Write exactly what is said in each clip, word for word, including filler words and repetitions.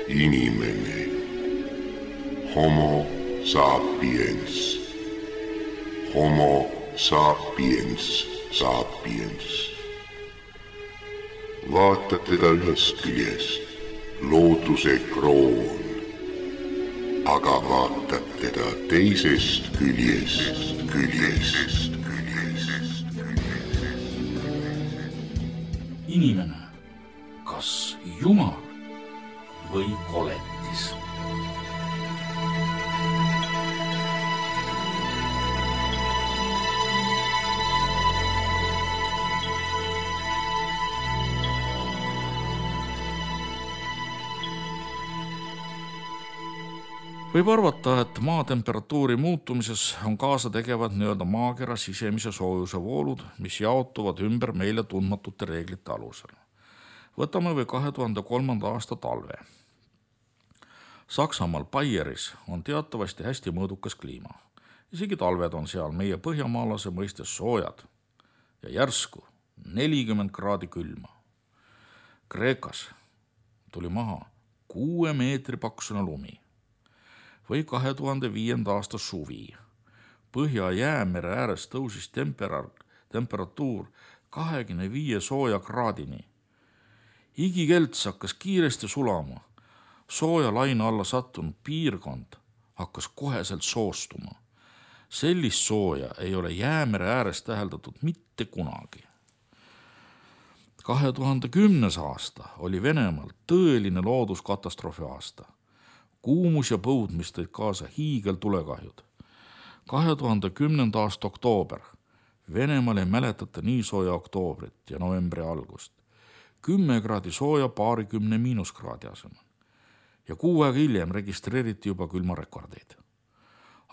Inimene. Homo sapiens. Homo sapiens sapiens. Vaata teda ühest küljest, looduse kroon, aga vaatad teda teisest küljest, küljest, küljest. Inimene, kas Jumal või koletis? Võib arvata, et maa temperatuuri muutumises on kaasa tegevad nii-öelda maakera sisemise soojuse voolud, mis jaotuvad ümber meile tundmatute reeglite alusel. Võtame või kahe tuhande kolmanda aasta talve. Saksamaal Baieris on teatavasti hästi mõõdukas kliima. Isegi talved on seal meie põhjamaalase mõistes soojad ja järsku nelikümmend kraadi külma. Kreekas tuli maha kuue meetri paksune lumi. Või kahe tuhande viienda aasta suvi. Põhja-Jäämere ääres tõusis tempera- temperatuur kahekümne viie sooja kraadini. Igikelts hakkas kiiresti sulama. Sooja laine alla sattunud piirkond hakkas koheselt soostuma. Sellist sooja ei ole Jäämere ääres täheldatud mitte kunagi. kahe tuhande kümnes aasta oli Venemaal tõeline looduskatastroofi aasta. Kuumus ja põud, mis tõid kaasa hiigel tulekahjud. kahe tuhande kümnenda aasta oktoober. Venemaal ei mäletata nii sooja oktoobrit ja novembri algust. Kümme kraadi sooja paarikümne miinuskraadi asemel. Ja kuu aega hiljem registreeriti juba külmarekordeid.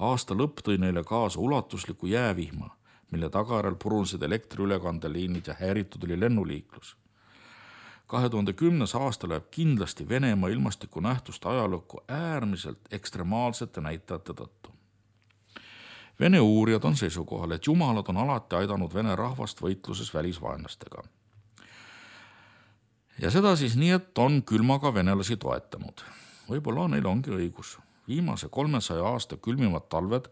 Aasta lõpp tõi neile kaasa ulatusliku jäävihma, mille tagajärjel purunesid elektriülekandeliinid ja häiritud oli lennuliiklus. kahe tuhande kümnes aasta läheb kindlasti Venemaa ilmastikunähtuste ajalukku äärmiselt ekstremaalsete näitajate tõttu. Vene uurijad on seisukohal, et jumalad on alati aidanud Vene rahvast võitluses välisvaenlastega. Ja seda siis nii, et on külmaga venelasi toetanud. Võib-olla neil ongi õigus. Viimase kolmesaja aasta külmimad talved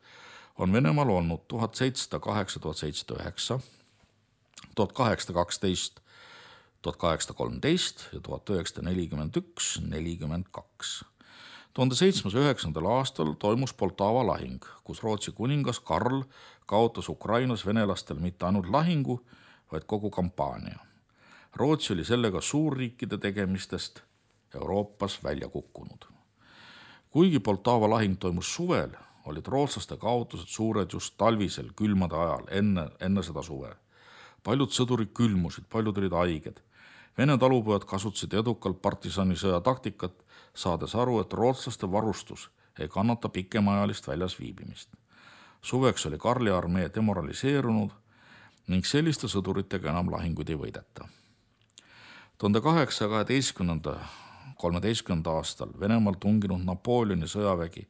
on Venemaal olnud tuhat seitsesada kaheksa, tuhat seitsesada üheksa, tuhat kaheksasada kaksteist, tuhat kaheksasada kolmteist ja tuhat üheksasada nelikümmend üks, nelikümmend kaks. tuhande seitsmesaja üheksandal aastal toimus Poltava lahing, kus Rootsi kuningas Karl kaotas Ukrainas venelastel mitte ainult lahingu, vaid kogu kampaania. Rootsi oli sellega suurriikide tegemistest Euroopas välja kukkunud. Kuigi Poltava lahing toimus suvel, olid rootslaste kaotused suured just talvisel külmade ajal enne, enne seda suve. Paljud sõdurid külmusid, paljud olid haiged. Vene talupojad kasutasid edukalt partisanisõja taktikat, saades aru, et rootslaste varustus ei kannata pikemaajalist väljas viibimist. Suveks oli Karli armee demoraliseerunud ning selliste sõduritega enam lahinguid ei võideta. tuhande kaheksasaja kaheteistkümnenda, kolmeteistkümnenda aastal Venemaal tunginud Napoleoni sõjavägi,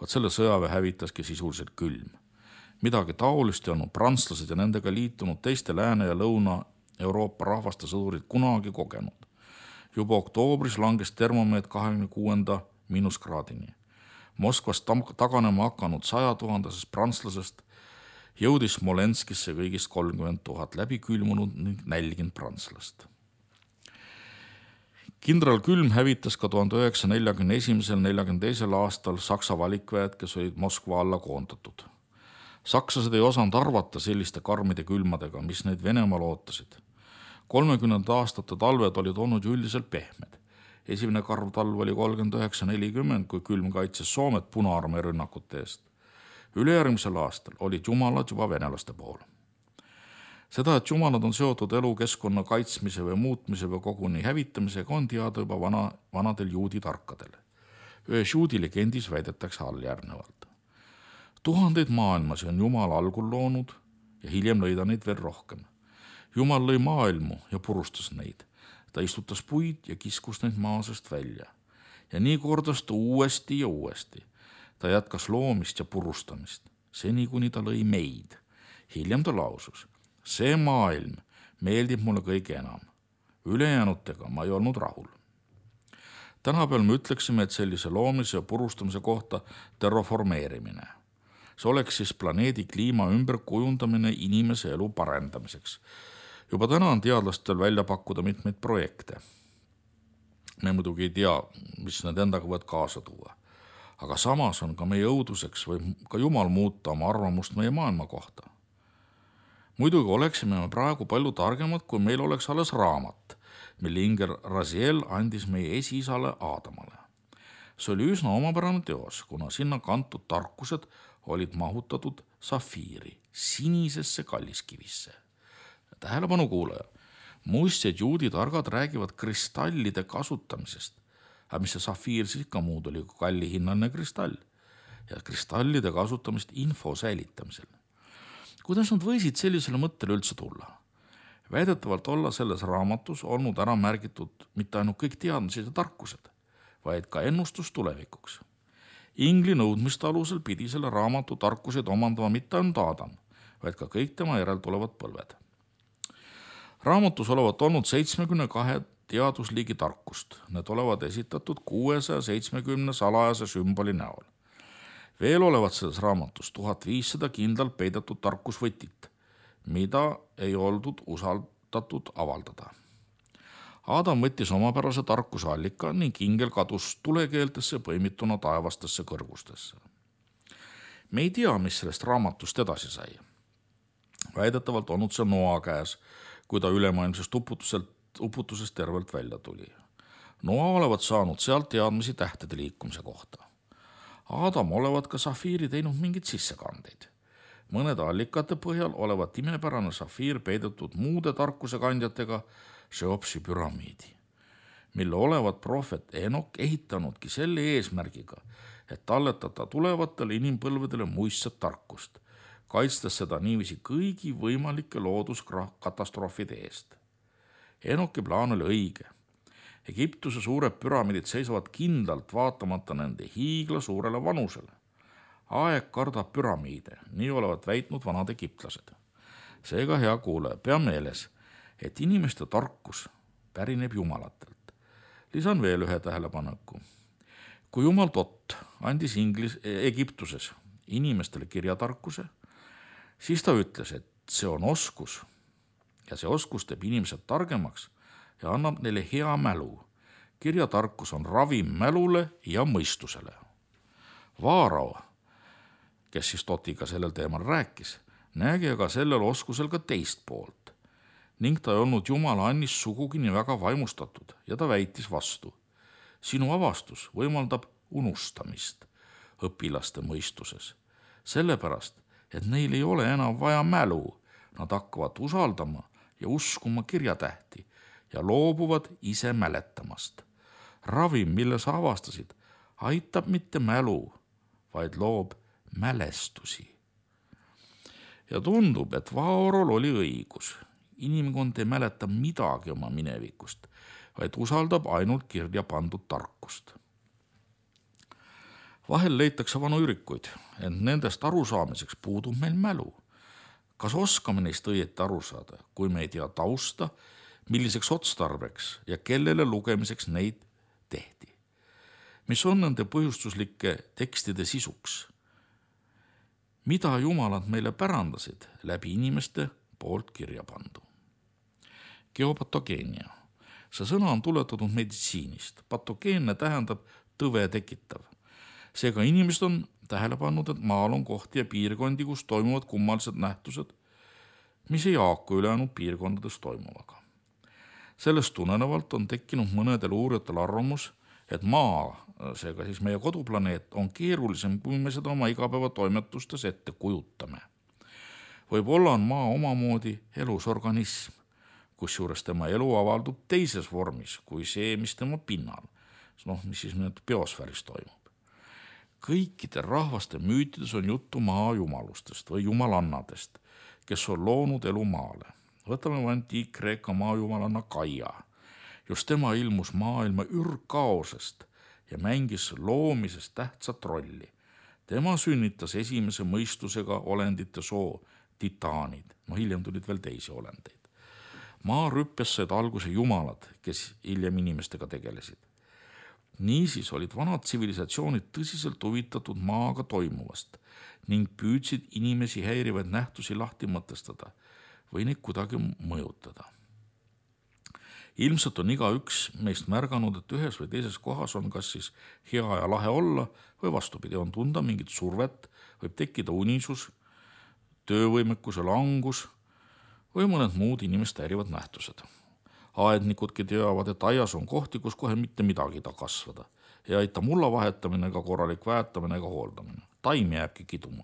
vaat selle sõjaväe hävitaski sisuliselt külm. Midagi taolist ei olnud prantslased ja nendega liitunud teiste Lääne- ja Lõuna-Euroopa rahvaste sõdurid kunagi kogenud. Juba oktoobris langes termomeet kahekümne kuuenda miinuskraadini. Moskvas taganema hakanud sajatuhandesest prantslasest jõudis Smolenskisse kõigist kolmkümmend tuhat läbi külmunud ning nälginud prantslast. Kindral Külm hävitas ka tuhande üheksasaja neljakümne esimesel neljakümne teisel aastal Saksa valikväed, kes olid Moskva alla koondatud. Sakslased ei osanud arvata selliste karmide külmadega, mis neid Venemaal ootasid. kolmekümnenda aastate talved olid olnud ju üldiselt pehmed. Esimene karv talv oli kolmkümmend üheksa nelikümmend, kui Külm kaitses Soomet Punaarmee rünnakute eest. Ülejärgmisel aastal olid jumalad juba venelaste pool. Seda, et jumalad on seotud elukeskkonna kaitsmise või muutmise või koguni hävitamisega, on teada juba vana, vanadel juudi tarkadel. Ühes juudi legendis väidetakse all järgnevalt. Tuhandeid maailmasi on Jumal algul loonud ja hiljem lõi ta neid veel rohkem. Jumal lõi maailmu ja purustas neid. Ta istutas puid ja kiskus neid maa seest välja. Ja nii kordas ta uuesti ja uuesti. Ta jätkas loomist ja purustamist, seni kuni ta lõi meid. Hiljem ta lausus, see maailm meeldib mulle kõige enam. Ülejäänutega ma ei olnud rahul. tänapäeval me ütleksime, et sellise loomise ja purustamise kohta terraformeerimine. See oleks siis planeedi kliima ümber kujundamine inimese elu parendamiseks. Juba täna on teadlastel välja pakkuda mitmeid projekte. Me muidugi ei tea, mis need endaga võivad kaasa tuua. Aga samas on ka meie õuduseks või ka Jumal muuta oma arvamust meie maailma kohta. Muidugi oleksime me praegu palju targemad, kui meil oleks alles raamat, mille Inger Raziel andis meie esiisale Aadamale. See oli üsna omapärane teos, kuna sinna kantud tarkused olid mahutatud safiiri, sinisesse kalliskivisse. Tähelepanu kuulaja, muistjad juudi targad räägivad kristallide kasutamisest, aga mis see safiir siis ikka muud oli kui kallihinnaline kristall ja kristallide kasutamist info säilitamisel. Kuidas nad võisid sellisele mõttele üldse tulla? Väidetavalt olla selles raamatus olnud ära märgitud mitte ainult kõik teadmised ja tarkused, vaid ka ennustus tulevikuks. Ingli nõudmiste alusel pidi selle raamatu tarkused omandama mitte ainult Aadam, vaid ka kõik tema järel tulevad põlved. Raamatus olevat olnud seitsmekümne kahe teadusliigi tarkust. Need olevat esitatud kuuesaja seitsmekümne salajase sümboli näol. Veel olevat selles raamatus tuhat viissada kindlalt peidetud tarkusvõtit, mida ei oldud usaldatud avaldada. Aadam võttis omapärase tarkuse allika ning ingel kadus tulekeeltesse põimituna taevastesse kõrgustesse. Me ei tea, mis sellest raamatust edasi sai. Väidetavalt olnud see Noa käes, kui ta ülemaailmsest uputuselt, uputusest tervelt välja tuli. Noa olevat saanud sealt teadmisi tähtede liikumise kohta. Aadam olevat ka safiiri teinud mingid sissekandeid. Mõnede allikate põhjal olevat imepärane safiir peidetud muude tarkuse kandjatega Cheopsi püramiidi, mille olevat prohvet Enok ehitanudki selle eesmärgiga, et talletada tulevatele inimpõlvedele muistset tarkust, kaitstes seda niiviisi kõigi võimalike looduskatastroofide eest. Enoki plaan oli õige. Egiptuse suured püramiidid seisavad kindlalt vaatamata nende hiigla suurele vanusele. Aeg kardab püramiide, nii olevat väitnud vanad egiptlased. Seega, hea kuulaja, pea meeles, et inimeste tarkus pärineb jumalatelt. Lisan veel ühe tähelepaneku. Kui Jumal Tot andis Inglis, Egiptuses inimestele kirjatarkuse, siis ta ütles, et see on oskus ja see oskus teeb inimesed targemaks ja annab neile hea mälu. Kirjatarkus on ravim mälule ja mõistusele. Vaarao, kes siis Totiga sellel teemal rääkis, nägi aga sellel oskusel ka teist poolt ning ta ei olnud Jumala annist sugugi nii väga vaimustatud ja ta väitis vastu. Sinu avastus võimaldab unustamist õpilaste mõistuses, sellepärast, et neil ei ole enam vaja mälu, nad hakkavad usaldama ja uskuma kirjatähti ja loobuvad ise mäletamast. Ravim, mille sa avastasid, aitab mitte mälu, vaid loob mälestusi. Ja tundub, et Vaorol oli õigus. Inimkond ei mäleta midagi oma minevikust, vaid usaldab ainult kirja pandud tarkust. Vahel leitakse vanu ürikuid, ent nendest arusaamiseks puudub meil mälu. Kas oskame neist õieti aru saada, kui me ei tea tausta, milliseks otstarbeks ja kellele lugemiseks neid tehti? Mis on nende põhjustuslike tekstide sisuks? Mida jumalad meile pärandasid läbi inimeste poolt kirja pandu? Geopatogeenia. See sõna on tuletatud meditsiinist. Patogeenne tähendab tõve tekitav. Seega inimesed on tähele pannud, et maal on kohti ja piirkondi, kus toimuvad kummalised nähtused, mis ei haaku ülejäänud piirkondades toimuvaga. Sellest tulenevalt on tekkinud mõnedel uurijatel arvamus, et maa, seega siis meie koduplaneet, on keerulisem, kui me seda oma igapäevatoimetustes ette kujutame. Võib-olla on maa omamoodi elus organism, kusjuures tema elu avaldub teises vormis kui see, mis tema pinnal, noh, mis siis nüüd biosfääris toimub. Kõikide rahvaste müütides on juttu maa jumalustest või jumalannadest, kes on loonud elu maale. Võtame antiik-Kreeka maajumalanna Gaia. Just tema ilmus maailma ürkaosest ja mängis loomisest tähtsat rolli. Tema sünnitas esimese mõistusega olendite soo titaanid. No hiljem tulid veel teisi olendeid. Maa rüppes said alguse jumalad, kes hiljem inimestega tegelesid. Niisiis olid vanad tsivilisatsioonid tõsiselt huvitatud maaga toimuvast ning püüdsid inimesi häirivaid nähtusi lahti mõtestada või neid kuidagi mõjutada. Ilmselt on igaüks meist märganud, et ühes või teises kohas on kas siis hea ja lahe olla või vastupidi, on tunda mingit survet, võib tekkida unisus, töövõimekuse langus või mõned muud inimest häirivad nähtused. Aednikudki teavad, et aias on kohti, kus kohe mitte midagi ta kasvada. Ei aita mulla vahetamine ega korralik väetamine ega hooldamine. Taim jääbki kiduma.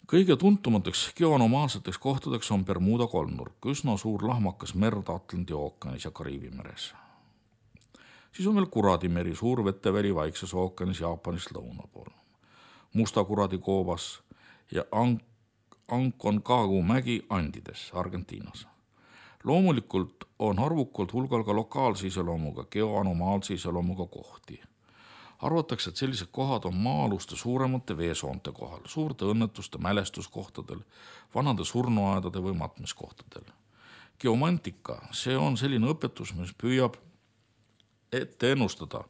Kõige tuntumateks geonomaalseteks kohtadeks on Bermuda kolmnurk, üsna suur lahmakas merd Atlandi ookeanis ja Kariibi meres. Siis on veel Kuradimeri, suur veteväli Vaikses ookeanis Jaapanist lõuna pool. Musta Kuradi koobas ja Aconcagua mägi Andides, Argentiinas. Loomulikult on arvukalt hulgal ka lokaalse iseloomuga, geoanomaalse iseloomuga kohti. Arvatakse, et sellised kohad on maa-aluste suuremate veesoonte kohal, suurte õnnetuste mälestuskohtadel, vanade surnuaedade või matmiskohtadel. Geomantika, see on selline õpetus, mis püüab ette ennustada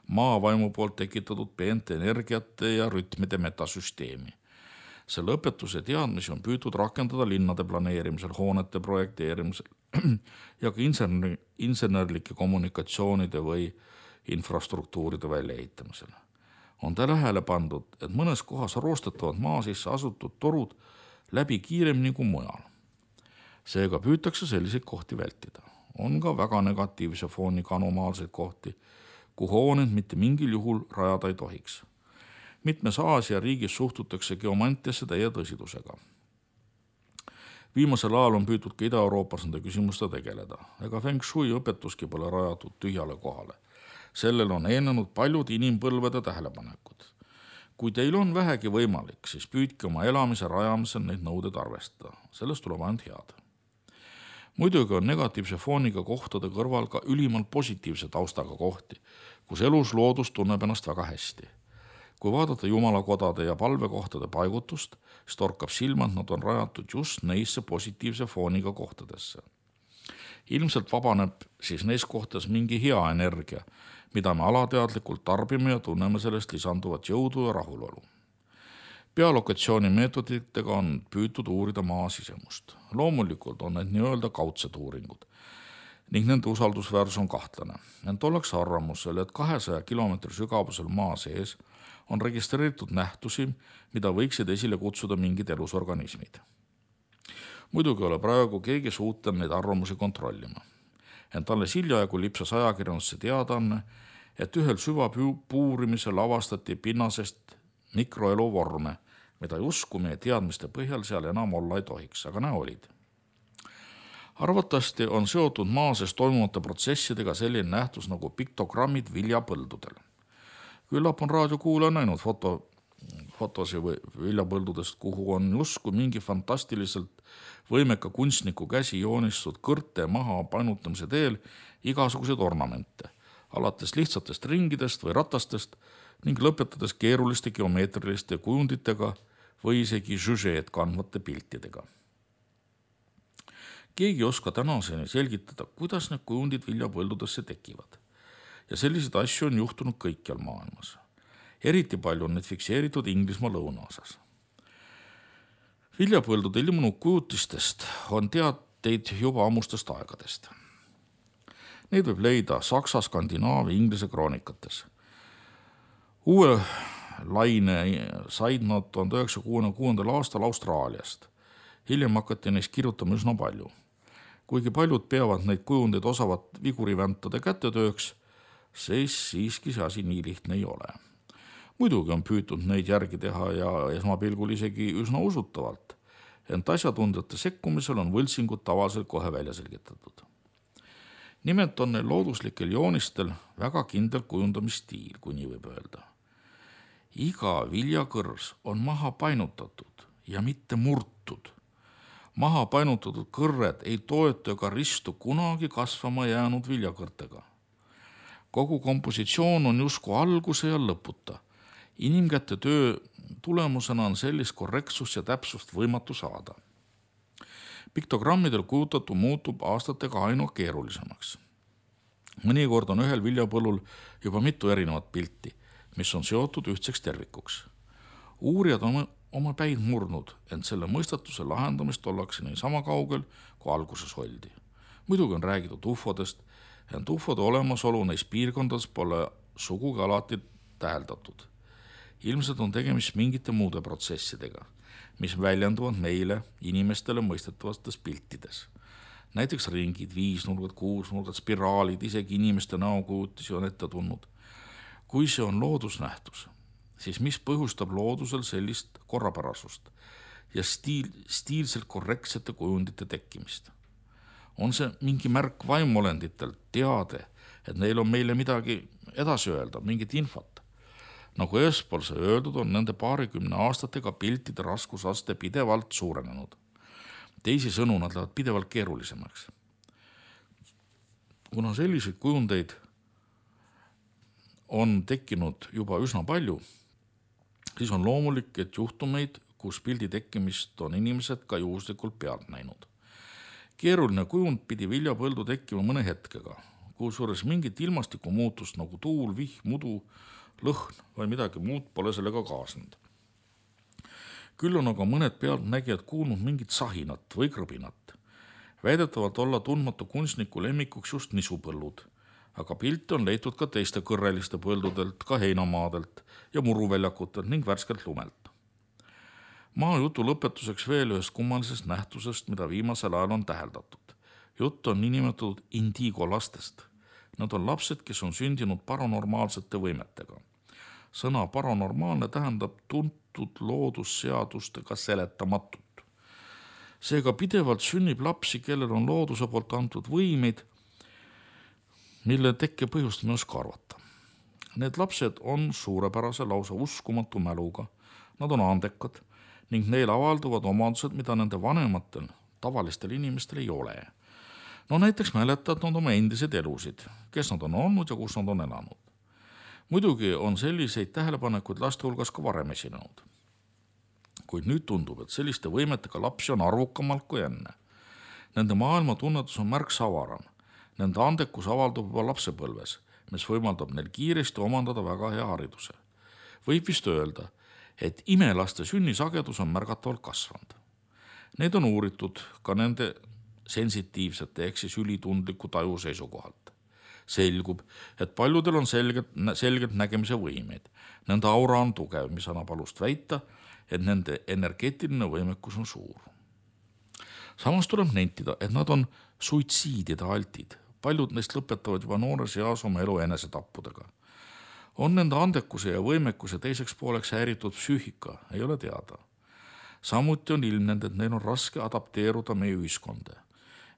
maavaimu poolt tekitatud peente energiate ja rütmide metasüsteemi. Selle õpetuse teadmisi on püütud rakendada linnade planeerimisel, hoonete projekteerimisel ja ka insenerlike kommunikatsioonide või infrastruktuuride väljaehitamisel. On tähele pandud, et mõnes kohas roostetavad maa sisse asutud torud läbi kiiremini kui mujal. Seega püütakse selliseid kohti vältida. On ka väga negatiivse fooniga anomaalseid kohti, kuhu hooned mitte mingil juhul rajada ei tohiks. Mitmes Aasia riigis suhtutakse geomantiasse täie tõsidusega. Viimasel ajal on püütud ka Ida-Euroopas nende küsimuste tegeleda, ega Feng Shui õpetuski pole rajatud tühjale kohale. Sellel on eelnenud paljud inimpõlvede tähelepanekud. Kui teil on vähegi võimalik, siis püüdke oma elamise rajamisel neid nõudeid arvestada. Sellest tuleb ainult head. Muidugi on negatiivse fooniga kohtade kõrval ka ülimalt positiivse taustaga kohti, kus elus loodus tunneb ennast väga hästi. Kui vaadata jumalakodade ja palvekohtade paigutust, siis torkab silma, et nad on rajatud just neisse positiivse fooniga kohtadesse. Ilmselt vabaneb siis neis kohtades mingi hea energia, mida me alateadlikult tarbime ja tunneme sellest lisanduvat jõudu ja rahulolu. Pealokatsiooni meetoditega on püütud uurida maa sisemust. Loomulikult on need nii-öelda kaudsed uuringud ning nende usaldusväärsus on kahtlane. Ent ollakse arvamusel, et kahesaja kilomeetri sügavusel maa sees on registreeritud nähtusi, mida võiksid esile kutsuda mingid elusorganismid. Muidugi ole praegu keegi suutel neid arvamusi kontrollima. Ent alles hiljaegu lipsas ajakirjandusse teadaanne, et ühel süvapuurimisel avastati pinnasest mikroelu vorme, mida justkui meie teadmiste põhjal seal enam olla ei tohiks, aga näe olid. Arvatavasti on seotud maa sees toimuvate protsessidega selline nähtus nagu piktogrammid viljapõldudel. Küllap on raadiokuulaja näinud foto, fotosi või viljapõldudest, kuhu on justkui mingi fantastiliselt võimeka kunstniku käsi joonistud kõrte maha painutamise teel igasuguseid ornamente, alates lihtsatest ringidest või ratastest ning lõpetades keeruliste geomeetriliste kujunditega või isegi žüžeed kandvate piltidega. Keegi oska tänaseni selgitada, kuidas need kujundid viljapõldudesse tekivad. Ja selliseid asju on juhtunud kõikjal maailmas. Eriti palju on need fikseeritud Inglismaa lõunaosas. Viljapõldude ilmunud kujutistest on teateid juba ammustest aegadest. Neid võib leida Saksa, Skandinaavia, Inglise kroonikates. Uue laine said nad tuhande üheksasaja kuuekümne kuuendal aastal Austraaliast. Hiljem hakati neist kirjutama üsna palju. Kuigi paljud peavad neid kujundeid osavat viguriväntade kätetööks, siis siiski see asi nii lihtne ei ole. Muidugi on püütud neid järgi teha ja esmapilgul isegi üsna usutavalt, ent asjatundjate sekkumisel on võltsingud tavaliselt kohe välja selgitatud. Nimelt on neil looduslikel joonistel väga kindel kujundamisstiil, kui nii võib öelda. Iga viljakõrs on maha painutatud ja mitte murtud. Maha painutatud kõrred ei toetu ega ristu kunagi kasvama jäänud viljakõrtega. Kogu kompositsioon on justkui alguse ja lõputa. Inimkäte töö tulemusena on sellist korrektsust ja täpsust võimatu saada. Piktogrammidel kujutatu muutub aastatega aina keerulisemaks. Mõnikord on ühel viljapõllul juba mitu erinevat pilti, mis on seotud ühtseks tervikuks. Uurijad on oma päid murnud, ent selle mõistatuse lahendamist ollakse nii sama kaugel, kui alguses oldi. Muidugi on räägitud ufodest, ent ufode olemasolu neis piirkondades pole sugugi alati täheldatud. Ilmselt on tegemist mingite muude protsessidega, mis väljenduvad meile inimestele mõistetavates piltides. Näiteks ringid, viisnurgad, kuusnurgad, spiraalid, isegi inimeste näokujutisi on ette tulnud. Kui see on loodusnähtus, siis mis põhjustab loodusel sellist korrapärasust ja stiil, stiilselt korrektsete kujundite tekkimist? On see mingi märk vaimolenditelt, teade, et neil on meile midagi edasi öelda, mingit infot? Nagu eespool see öeldud, on nende paarikümne aastatega piltide raskusaste pidevalt suurenenud. Teisi sõnu nad lähevad pidevalt keerulisemaks. Kuna selliseid kujundeid on tekkinud juba üsna palju, siis on loomulik, et juhtumeid, kus pildi tekkimist on inimesed ka juhuslikult pealt näinud. Keeruline kujund pidi viljapõldu tekkima mõne hetkega, kusjuures mingit ilmastiku muutust nagu tuul, vihm, mudu, lõhn või midagi muud pole sellega kaasnud. Küll on aga mõned pealtnägijad kuulnud mingit sahinat või krõbinat. Väidetavalt olla tundmatu kunstniku lemmikuks just nisupõllud, aga pilte on leitud ka teiste kõrreliste põldudelt, ka heinamaadelt ja muruväljakutelt ning värskelt lumelt. Maa jutu lõpetuseks veel ühest kummalisest nähtusest, mida viimasel ajal on täheldatud. Jutt on niinimetatud indigo lastest. Nad on lapsed, kes on sündinud paranormaalsete võimetega. Sõna paranormaalne tähendab tuntud loodusseadustega seletamatut. Seega pidevalt sünnib lapsi, kellel on looduse poolt antud võimeid, mille tekke põhjust me oska arvata. Need lapsed on suurepärase lausa uskumatu mäluga, nad on andekad ning neil avalduvad omadused, mida nende vanematel, tavalistel inimestel ei ole. No näiteks mäletavad nad oma endiseid elusid, kes nad on olnud ja kus nad on elanud. Muidugi on selliseid tähelepanekuid laste hulgas ka varem esinenud. Kuid nüüd tundub, et selliste võimetega lapsi on arvukamalt kui enne. Nende maailma tunnetus on märksa avaram. Nende andekus avaldub juba lapsepõlves, mis võimaldab neil kiiresti omandada väga hea hariduse. Võib vist öelda, et imelaste sünnisagedus on märgatavalt kasvanud. Need on uuritud ka nende sensitiivsete ehk siis ülitundliku taju seisukohalt. Selgub, et paljudel on selgelt, selgelt nägemise võimeid. Nende aura on tugev, mis annab alust väita, et nende energeetiline võimekus on suur. Samas tuleb nentida, et nad on suitsiidide altid. Paljud neist lõpetavad juba noores eas oma elu enesetappudega. On nende andekuse ja võimekuse teiseks pooleks häiritud psüühika, ei ole teada. Samuti on ilmnenud, et neil on raske adapteeruda meie ühiskonda.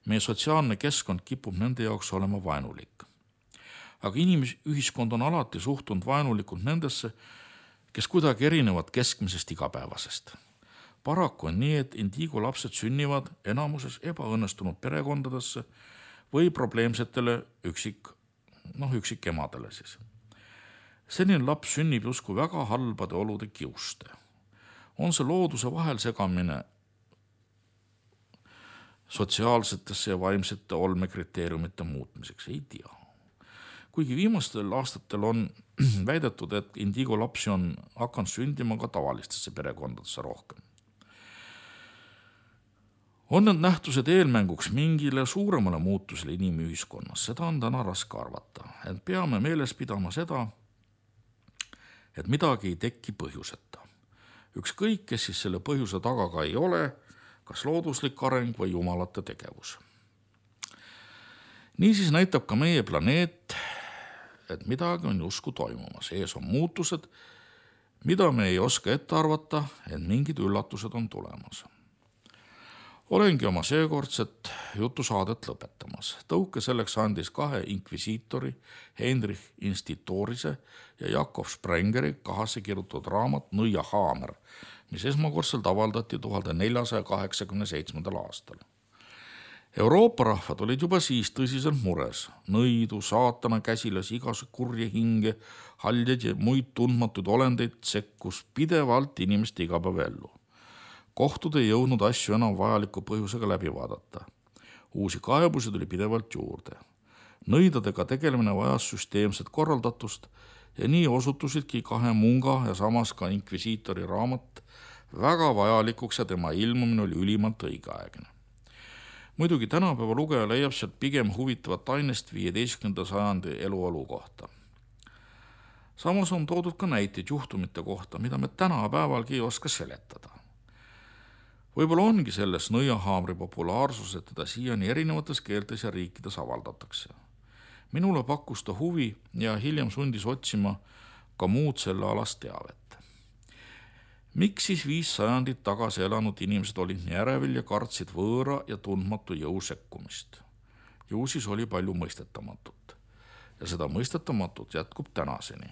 Meie sotsiaalne keskkond kipub nende jaoks olema vaenulik. Aga inimühiskond on alati suhtunud vaenulikult nendesse, kes kuidagi erinevad keskmisest igapäevasest. Paraku on nii, et indigo lapsed sünnivad enamuses ebaõnnestunud perekondadesse või probleemsetele üksik, noh, üksik emadele siis. Selline laps sünnib justkui väga halbade olude kiuste. On see looduse vahel segamine sotsiaalsetesse ja vaimsete olmekriteeriumite muutmiseks, ei tea. Kuigi viimastel aastatel on väidetud, et indigo lapsi on hakanud sündima ka tavalistesse perekondadesse rohkem. On need nähtused eelmänguks mingile suuremale muutusele inimühiskonnas, seda on täna raske arvata, et peame meeles pidama seda, et midagi ei teki põhjuseta. Ükskõik, kes siis selle põhjuse taga ka ei ole, kas looduslik areng või jumalate tegevus. Niisiis näitab ka meie planeet, et midagi on justkui toimumas. Ees on muutused, mida me ei oska ette arvata, et mingid üllatused on tulemas. Olengi oma seekordset jutusaadet lõpetamas. Tõuke selleks andis kahe inkvisiitori, Heinrich Institorise ja Jakob Sprengeri kahasse kirjutatud raamat Nõia haamer, mis esmakordselt avaldati tuhande neljasaja kaheksakümne seitsmendal aastal. Euroopa rahvad olid juba siis tõsiselt mures. Nõidu, saatana käsilas, igas kurje hinge, haljaid ja muid tundmatuid olendeid sekkus pidevalt inimeste igapäevaellu. Kohtud ei jõudnud asju enam vajaliku põhjusega läbi vaadata. Uusi kaebusi tuli pidevalt juurde. Nõidadega tegelemine vajas süsteemset korraldatust ja nii osutusidki kahe munga ja samas ka inkvisiitori raamat väga vajalikuks ja tema ilmumine oli ülimalt õigeaegne. Muidugi tänapäeva lugeja leiab sealt pigem huvitavat ainest viieteistkümnenda sajandi eluolu kohta. Samas on toodud ka näiteid juhtumite kohta, mida me tänapäevalgi ei oska seletada. Võib-olla ongi selles nõiahaamri populaarsus, et teda siiani erinevates keeltes ja riikides avaldatakse. Minule pakkus ta huvi ja hiljem sundis otsima ka muud selle alast teavet. Miks siis viis sajandit tagasi elanud inimesed olid nii ärevil ja kartsid võõra ja tundmatu jõu sekkumist? Ju siis oli palju mõistetamatut. Ja seda mõistetamatut jätkub tänaseni.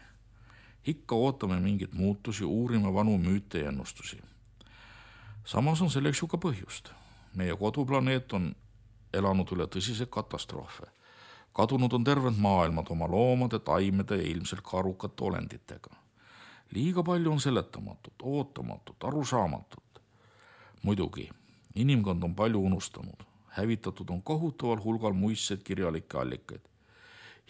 Ikka ootame mingit muutusi, uurime vanu müüte ja ennustusi. Samas on selleks ju ka põhjust. Meie koduplaneet on elanud üle tõsise katastroofe. Kadunud on terved maailmad oma loomade, taimede ja ilmselt ka arukate olenditega. Liiga palju on seletamatut, ootamatut, arusaamatut. Muidugi, inimkond on palju unustanud. Hävitatud on kohutaval hulgal muistseid kirjalikke allikaid.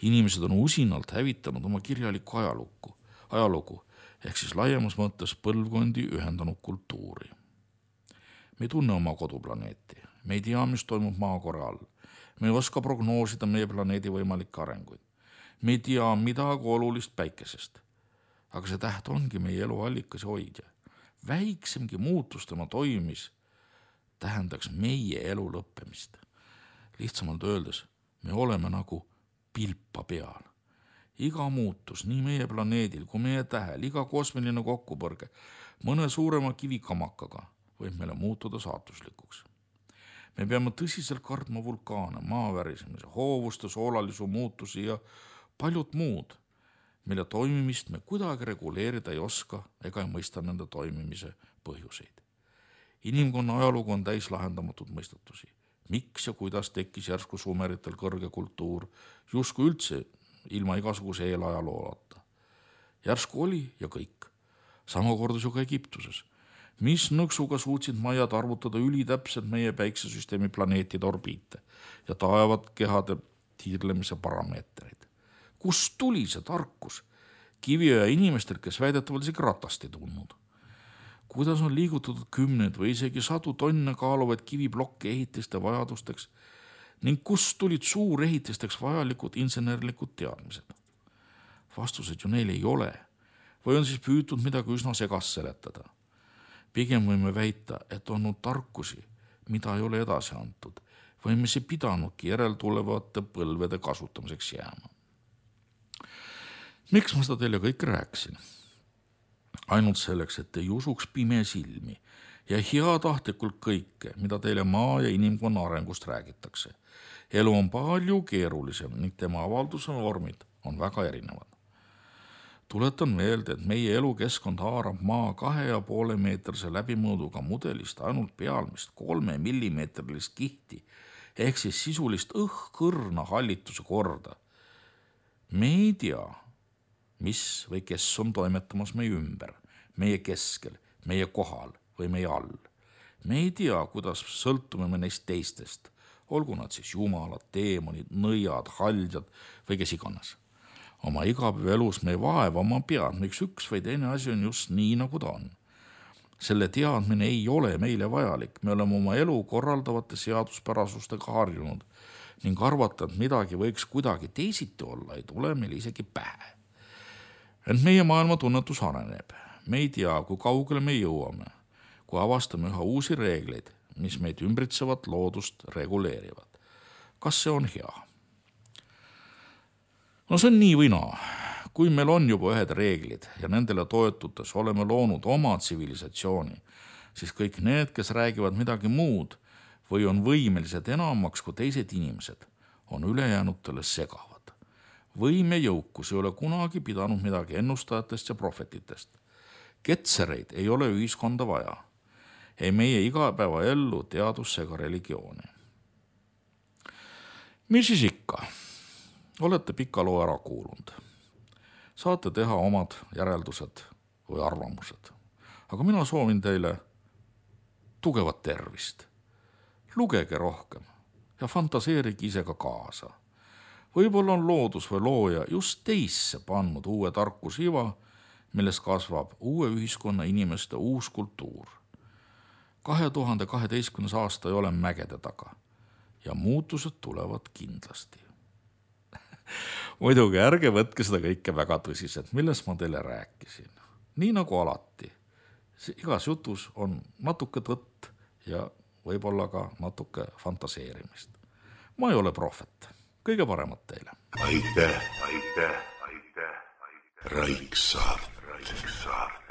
Inimesed on usinalt hävitanud oma kirjalikku ajalukku, ajalugu, ehk siis laiemas mõttes põlvkondi ühendanud kultuuri. Me ei tunne oma koduplaneeti. Me ei tea, mis toimub maakora all. Me ei oska prognoosida meie planeedi võimalikke arenguid. Me ei tea midagi olulist päikesest. Aga see täht ongi meie elu allikas ja hoidja. Väiksemgi muutus tema toimis tähendaks meie elu lõppemist. Lihtsamalt öeldes, me oleme nagu pilpa peal. Iga muutus, nii meie planeedil kui meie tähel, iga kosmiline kokkupõrge, mõne suurema kivikamakaga võib meile muutuda saatuslikuks. Me peame tõsiselt kartma vulkaane, maavärisemise, hoovuste, soolalisu muutusi ja paljud muud, mille toimimist me kuidagi reguleerida ei oska ega ei mõista nende toimimise põhjuseid. Inimkonna ajalugu on täis lahendamatud mõistatusi. Miks ja kuidas tekkis järsku sumeritel kõrge kultuur, justkui üldse ilma igasuguse eelajalooata. Järsku oli ja kõik. Sama kordus ju ka Egiptuses. Mis nõksuga suutsid majad arvutada ülitäpselt meie päiksesüsteemi planeetide orbiite ja taevad kehade tiirlemise parameetreid. Kust tuli see tarkus kiviöö inimestel, kes väidetavalt isegi ratast ei tundnud? Kuidas on liigutatud kümned või isegi sadu tonne kaaluvaid kiviblokke ehitiste vajadusteks ning kust tulid suurehitisteks vajalikud insenerlikud teadmised? Vastused ju neil ei ole. Või on siis püütud midagi üsna segast seletada? Pigem võime väita, et on olnud tarkusi, mida ei ole edasi antud, või me see pidanudki järeltulevate põlvede kasutamiseks jääma. Miks ma seda teile kõik rääksin? Ainult selleks, et ei usuks pime silmi ja heatahtlikult kõike, mida teile maa ja inimkonna arengust räägitakse. Elu on palju keerulisem ning tema avalduse vormid on väga erinevad. Tuletan meelde, et meie elukeskkond haarab maa kahe ja poole meetrise läbimõõduga mudelist ainult pealmist kolme millimeetrilist kihti ehk siis sisulist õhkõrna hallituse korda. Me ei tea, mis või kes on toimetamas meie ümber, meie keskel, meie kohal või meie all. Me ei tea, kuidas sõltume me neist teistest, olgu nad siis jumalad, teemonid, nõiad, haljad või kes iganes. Oma igapäevaelus me ei vaeva oma pead, miks üks või teine asi on just nii, nagu ta on. Selle teadmine ei ole meile vajalik, me oleme oma elu korraldavate seaduspärasustega harjunud ning arvata, et midagi võiks kuidagi teisiti olla, ei tule meil isegi pähe. Ent meie maailma tunnetus areneb. Me ei tea, kui kaugele me jõuame, kui avastame üha uusi reegleid, mis meid ümbritsevat loodust reguleerivad. Kas see on hea? No see on nii või naa. Kui meil on juba ühed reeglid ja nendele toetudes oleme loonud oma tsivilisatsiooni, siis kõik need, kes räägivad midagi muud või on võimelised enamaks kui teised inimesed, on ülejäänutele segavad. Võim ja jõukus ei ole kunagi pidanud midagi ennustajatest ja prohvetitest. Ketsereid ei ole ühiskonda vaja. Ei meie igapäeva ellu teadusse ega religiooni. Mis siis ikka? Olete pika loo ära kuulunud. Saate teha omad järeldused või arvamused. Aga mina soovin teile tugevat tervist. Lugege rohkem ja fantaseerige ise ka kaasa. Võib-olla on loodus või looja just teisse pannud uue tarkusiva, milles kasvab uue ühiskonna inimeste uus kultuur. kahe tuhande kaheteistkümnes aasta ei ole mägede taga ja muutused tulevad kindlasti. Muidugi ärge võtke seda kõike väga tõsiselt, millest ma teile rääkisin. Nii nagu alati, igas jutus on natuke tõtt ja võib-olla ka natuke fantaseerimist. Ma ei ole prohvet. Kõige paremat teile. Aitäh, aitäh, aitäh, aitäh. Raiksaart. Raiksaart.